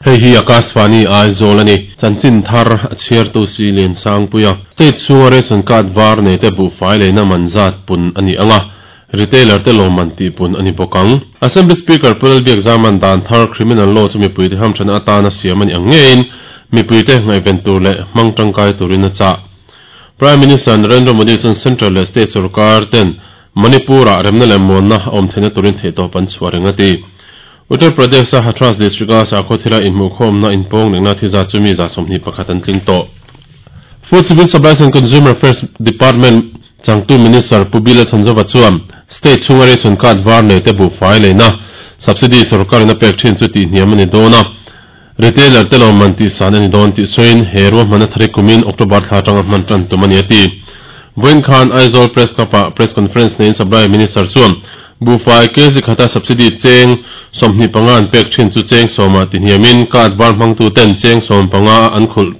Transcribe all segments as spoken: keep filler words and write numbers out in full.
Hei hi Akashvani Aizawl ani chanchin thar a chhiartu si lian sangpuia state chunga ration card var nei te buhfai leina man zat pun ani anga retailer te lawmman tih pun ani bawk ang. Assembly Speaker Pulal Biak Zaman dan thar criminal law chu mipui te hamthana atana siam ani ang ngein mipui te ngaihven tur leh hmang tangkai turin a chah. Prime Minister Narendra Modi chuan Central leh State sarkar ten Manipur-ah remna leh muanna a awm theihna turin theihtawp an chhuah reng a ti. Uttar Pradesh a Hathras district a sakhaw thila inhmuhkhawmna inpawng lehna thi zat chu mi za sawmhnih pakhat an tling tawh. Food Civil Supplies and Consumer Affairs Department changtu Minister Pu Bila Chhanzova chuan state chhunga ration card var nei te buhfai leina subsidy sarkar in a pek thin chu tih hniam ani dawn a, retailer te lawmman tih san ani dawn tih sawiin he ruahman a thari kumin October thla atanga hman tan tum ani a ti. Vawiin khan Aizawl Press Club ah press conference neiin Supply Minister chuan buhfai kg khata subsidy cheng sawmhnih panga an pek thin chu cheng sawma ti hniamin card var hmangtu ten cheng sawm panga an khulh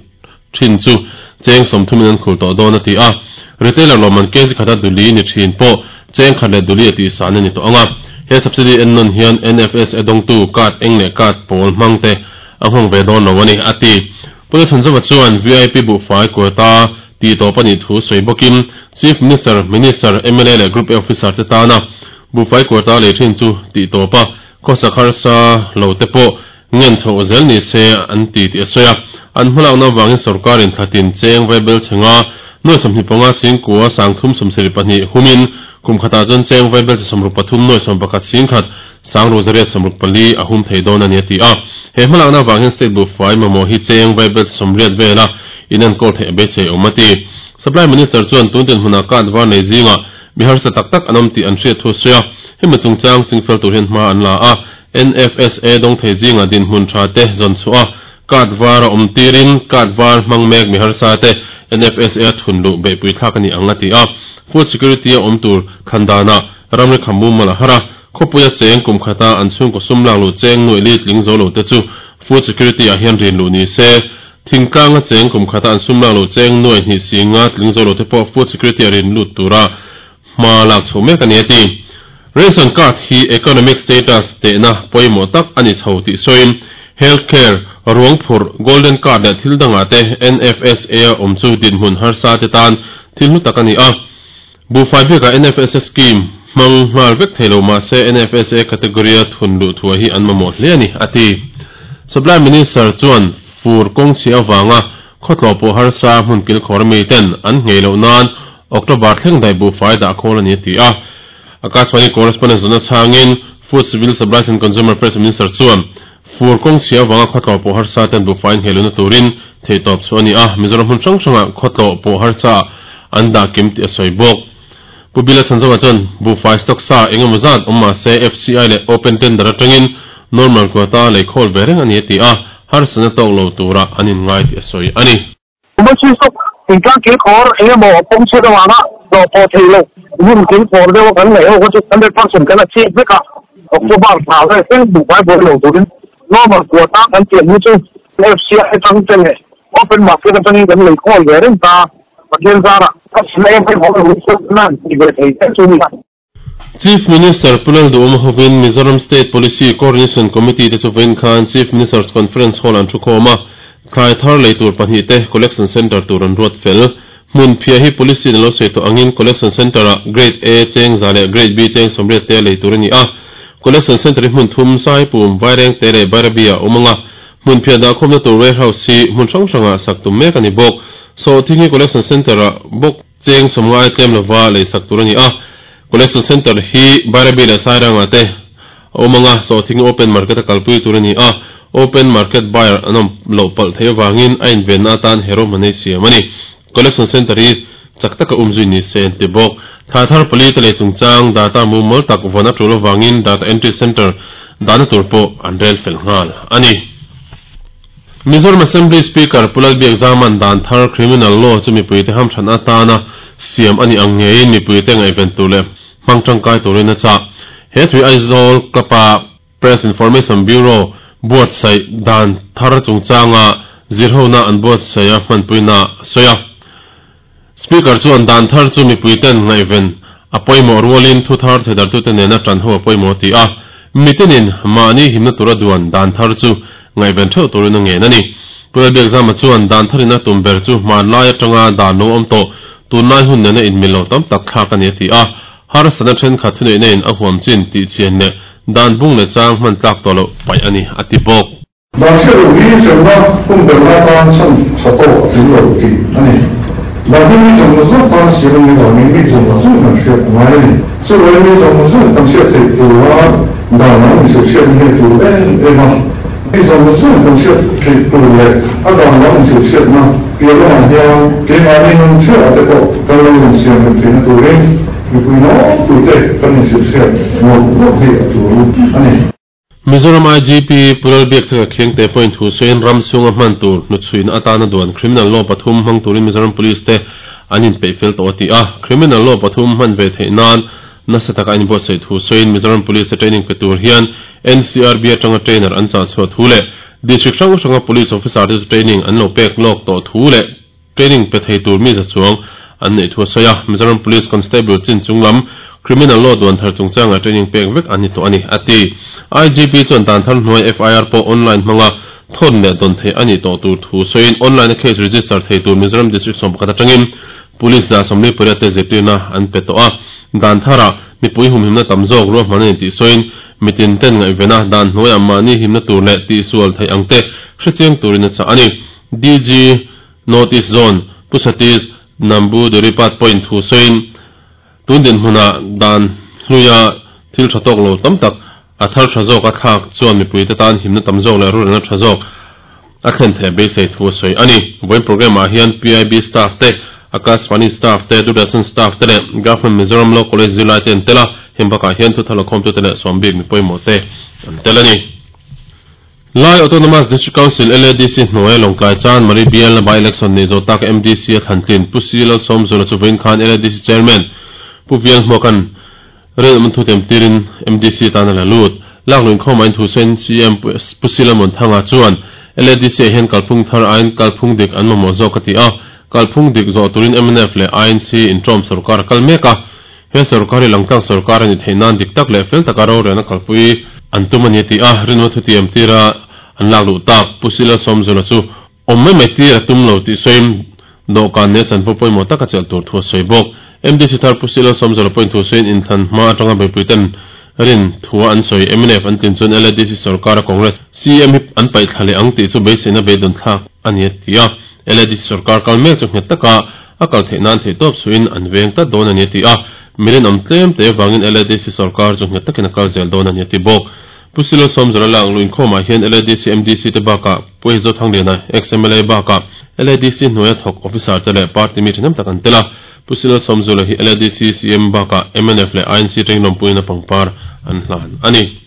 thin chu cheng sawmthumin an khulh tawh dawn a ti a. Retailer lawmman kg khata duli ni thin pawh cheng khat leh duli a tih san ani tawh anga. He subsidy en nawn hian N F S a dawngtu card eng leh card pawl hmang te a nghawng ve dawn lo ani a ti. Pu Chhanzova chuan V I P buhfai quota tih tawp ani thu sawi bawkin Chief Minister, Minister, M L A leh Group A officer te tana buhfai quota lei thin chu tih tawp a, khawsak harsa lo te pawh ngen chho zel ni se an ti tih a sawi a. An hmalakna wangin sarkarin thlatin cheng vaibel chenga nuai sawmhnih panga singkua sangthum sawmsarih pahnih humin kum khatah chuan cheng vaibel che sawmruk pathum nuai sawm pakhat singkhat sangru zariat sawmruk pali a hum thei dawn ani a ti a. He hmalakna wangin state buhfai mamawh hi cheng vaibel che sawmriat vela in an kawl theih a beisei awm a ti. Supply Minister chuan tuntin hmuna card var nei zinga mi harsa tak tak an awm tih an hriat thu sawi a, hemi chungchang chingfel tur hian hma an la a, N F S A dawng thei zinga dinhmun tha te zawn chhuah a, card var a awm tirin card var hmang mek mi harsa te N F S A thun luh beihpui thlak ani ang a ti a. Food security a awm tur khandana ramri khamu mala hara khawpuia cheng kum khata an chhungkaw sum lak lu cheng nuai li tling zo lo te chu food security ah hian rin luh ni se, thingtlanga cheng kum khata an sum lak lu cheng nuai hnih singa tling zo lo te pawh food security a rin lut tura hma lak chho mek ani a ti. Ration card hi economic status tehna pawimawh tak ani chho tih sawiin healthcare, ruang phurh, golden card leh thil dangah te N F S A a awm chu dinhmun harsa te tan thil hlu tak ani a. Buhfai bikah N F S A scheme hmang nghal vek theilo mahse N F S A category a thun luh thuah hi an mamawh hle ani a ti. Supply Minister chuan fur kawng chhi awanga khawtlo pawh harsa hmun kil khawr mi ten an ngei loh nan October thleng dai buhfai dah khawl ani a ti a. Akashvani correspondent zona changin Food Civil Supplies and Consumer Affairs Minister chuan fur kawng chhi awanga khawtlo pawh harsa ten buhfai ngei lohna turin theitawp chu ani a, Mizoram hmun hrang hranga khawtlo pawh harsa an dah kim tih a sawi bawk. Pu Bila Chhanzova chuan buhfai stock sa engemaw zat awm mahse F C I leh open tender atangin normal quota lei khawl ve reng ani a ti a, harsana tawk lo tura an in ngai tih a sawi ani. Emergency stock thingtlang kil khawr engemaw pawng chhiat awanga tlawh pawh thei lo hmun kil khawr deuh kan ngaih ho kha chu hundred percent kan a chhiat vek a, October thla vel thleng buhfai buai lo turin normal quota kan tiam hi chu F C I atang te leh open market atangin kan lei khawl ve reng ta. Pathian zara a em em ho nan ti ve thei te chu ni. Chief Minister Pu Lalduhoma hovin Mizoram State Policy Coordination Committee te chu vawiin khan Chief Minister's Conference Hall an thu khawm a, thlai thar lei tur pahnih te collection center tur an ruat fel. Hmun phia hi policy na lo sei tawh angin collection center ah Grade A cheng za leh Grade B cheng sawmriat te lei tur ani a. Collection center hi hmun thum Saipum, Vaireng te leh Bairabi a awm anga, hmun phia dah khawmna tur warehouse hi hmun hrang hranga sak tum mek ani bawk. So thing hi collection center ah bawk cheng sawmngai tlem lova lei sak tur ani a. Collection center hi Bairabi leh Sairanga te awm anga, so thing open market a kalpui tur ani a, open market buyer an awm lo palh thei awangin a inven na atan hero manei siam ani. Collection center hi chak taka umzui ni se an ti bawk. Thlai thar pali te lei chungchang data mumal tak vawn a tul awangin data entry center dana tur pawh an rel fel nghal ani. Mizoram Assembly Speaker Pu Lalbiak Zaman dan thar criminal law chu mipui te hamthan atana siam ani ang ngeiin mipui te ngaihven tur leh hmang tangkai turin a chah. He thui Aizawl Club-a Press Information Bureau buatsaih dan thar chungchanga zirhona an buatsaih a hmanpuina sawi a. Speaker chuan dan thar chu mipui ten ngaihven a pawimawh rualin thu thar thedar tu te nena tan ho a pawimawh ti a. Mitinin mahni himna tura duan dan thar chu Ngai ben theu turin a ngen ani. Pulal Zama chuan dan tharina tumber chu hman lai atanga dan lo awm tawh tunlai hun nena in milo tam tak thlak ani ti a har sana then kha thunei nein a huam chin ti chian le dan bung le chang hman tlak to lo pai ani ati bawk. Dan hriat hi hremna hun ber lai tan chan tha tawh a tling lo tih ani. Dan hi mi zawng zawng tan siam ani vangin mi zawng zawng kan hriat ngai ani. Chuvai mi zawng zawng kan hriat theih tura dan ang inhrilh hriat ni tur em em a. Mi zawng zawng kan hriat theih tur leh a dan ang inhrilh hriatna piah lamah hian keimahni nun theuh te pawh kan lo insiam rem theihna turin mipui nawk puite kan inhrilh hriat mawlh mawlh hi a tul ani. Mizoram I G P Pulal Biakthanga Khiangte point thu soin ram chunga hman tur hnuchhuina atana duan criminal law pathum hmang turin Mizoram Police te an in peih fel tawh ti a. Criminal law pathum hman ve theih nan nasa taka in buatsaih thu soin Mizoram Police te training pe tur hian N C R B atanga trainer an chah chhuah thu leh district hrang hranga police officer te training an lo pek lawk tawh thu leh training pe thei tur mi za chuang an nei thu sawi a. Mizoram Police Constable chin chunglam criminal law duan thar chungchanga training pek vek ani to ani ati. I G P chuan dan thar hnuai F I R pawh online hmanga thon leh don thei ani tawh tur thu sawiin online case register thei tur Mizoram District sawm pakhat atangin police za sawmli pariat te zirtirna an pe tawh a. Dan thara mipui humhimna tam zawk ruahman ani tih sawiin mitin ten ngaihvena dan hnuaiah mahni himna tur leh tihsual thei ang te hrechiang turin a chah ani. D G North East Zone Pusatis Nambu Duripat point thu sawiin tun din hmuna dan hluia thil tha tawk lo tam tak a thar tha zawk a thlak chuan mipui te tan himna tam zawk leh rulna tha zawk a thlen thei beisei thu a sawi ani. Vawiin program ah hian P I B staff te Akashvani staff te Doordarshan staff te leh Government Mizoram Law College zirlai te an tel a heng bakah hian thu thal khawm tu te leh sawmbik mi pawimawh te an tel ani. Lai Autonomous District Council L A D C hnuai Lawngtlai Chan Mari B L by election nei zo tak M D C a thlantlin Pu Si Lal Sawmzula chu vawiin khan L A D C chairman Pu Vial Hmuakan rel awm thu tem tirin M D C tan a la lut. Lakluin khawma in thu sawiin C M Pu Si Lal Muanthanga chuan L A D C ah hian kalphung thar aiin kalphung dik an mamawh zawk a ti a. Kalphung dik zawh turin M N F leh I N C intawm sarkar kal mek a. He sarkar hi langtlang sarkar ani theih nan dik tak leh fel taka rorelna kalpui an tum ani ti a. Rinwa thu ti em tira an lak luh tak Pu Si Lal Sawmzula chu awm mai mai tir a tum lo tih sawiin dawhkan ne chanvo pawimawh taka chelh tur thu a sawi bawk. M D C thar Pu Si Lal Sawmzula point thu sawiin inthlan hma atanga beipui ten rin thua an sawi M N F an tlin chuan L A D C sarkar a Congress C M hi an paih thla leh ang tih chu beiseina beidawng thlak ani a ti a. L A D C sarkar kal mek chu nghet taka a kal theih nan theih tawp suin an veng tlat dawn ani a ti a. Mirin awm tlem te wangin L A D C sarkar chu nghet takin a kal zel dawn ani a ti bawk. Pu Si Lal Sawmzula lang luin khawmah hian L A D C M D C te bakah Pu Zo Thangliana ex M L A bakah L A D C hnuaia thawk officer te leh party mi ṭhahnem tak an tel a. Pu Si Lal Sawmzula hi L A D C C M bakah M N F leh I N C training lawmpuiin a pangpar an hlan ani.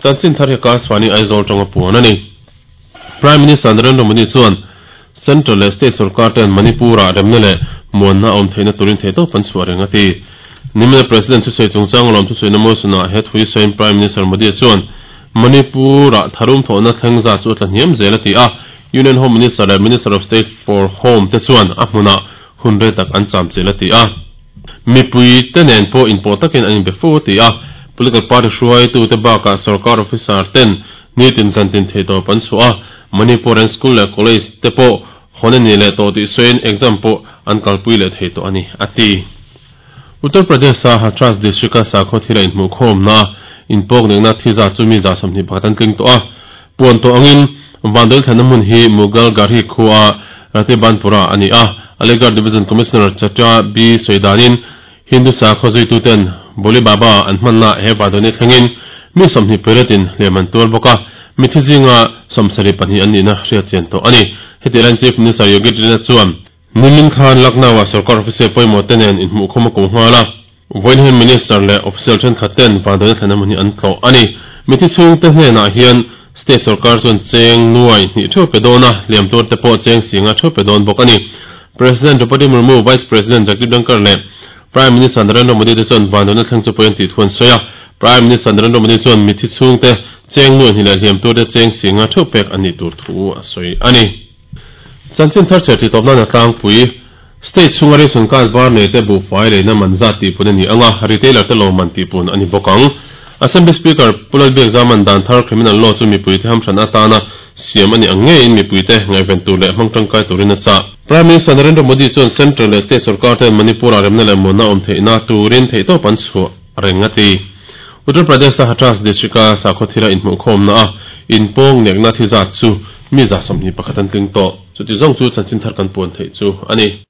Chanchin thar hi Akashvani Aizawl tanga puan ani. Prime Minister Narendra Modi chuan Central leh State sarkar ten Manipur-ah remna leh muanna awm theihna turin theih tawp an chhuah reng a ti. Nimina President Thusei chungchang lawm thusawi na motion-ah he thui sawiin Prime Minister Modi chuan Manipur-ah tharum thawhna thleng za chu a tla hniam zel a ti a. Union Home Minister leh Minister of State for Home te chuan a hmunah hun rei tak an cham chel a ti a. Mipui te nen pawh inpawh takin an inbe fo a ti a. Political party hruai tu te bakah sarkar officer ten nitin zantin thei tawp an chhuah a. Manipur and school leh college te pawh hawn ani leh tawh tih sawiin exam pawh an kalpui leh thei tawh ani a ti. Uttar Pradesh a Hathras district a sakhaw thila inhmuh khawmna inpawk nekna thi za chu mi za sawmhnih pakhat an tling tawh a. Puan tawh angin Vandal thlanna hmun hi Mughal Garhi khuaa Ratibanpura ani a. Aligarh Division Commissioner Chacha B Soidanin Hindu sakhaw zuitu ten Boli Baba an hmanna he Vandalni thlengin mi sawmhnih pariatin hliam an tuar bawk a. Mi thi zinga sawmsarih pahnih an nihna hriat chian tawh ani. Heti lain Chief Minister Yogi Adityanath chuan Nimin khan Lucknow a sarkar officer pawimawh te nen inhmuh khawm a ko nghal a. Vawiin Minister leh official thenkhat ten Vandalni thlanna hmun hi an tlawh ani. Mi thi chhung te hnenah hian State sarkar chuan cheng nuai hnih theuh pe dawn a, hliam tur te pawh cheng singa theuh pe dawn bawk ani. President Draupadi Murmu, Vice President Jagdeep Dhankhar leh Prime Minister Narendra Modi te chuan Vandalni thleng chu pawh an tih thu an sawi a. Prime Minister Narendra Modi chuan mi thi chhung te cheng nuai hnih leh hliam tur te cheng singa theuh pek ani tur thu a sawi ani. Chanchin thar cher ti tawpna na tlangpui State chunga ration card var nei te buhfai leina man zat tih pun ani anga retailer te lawmman tih pun ani bawk ang. Assembly Speaker Pu Lalbiakzaman dan thar criminal law chu mipuite hamhran atana siam ani ang ngeiin mipuite ngaihven tur leh hmang tangkai turin a chah. Prime Minister Narendra Modi chuan Central leh State sorkar ten Manipur-ah remna leh muanna awm theihna turin theihtawp an chhuah reng a ti. Uttar Pradesh-a Hathras district-a sakhaw thila inhmuhkhawmna a inpawng nekna thi zat chu mi za sawmhnih pakhat an tling tawh. Chuti zawng chu chanchin thar kan puan theih chu a ni.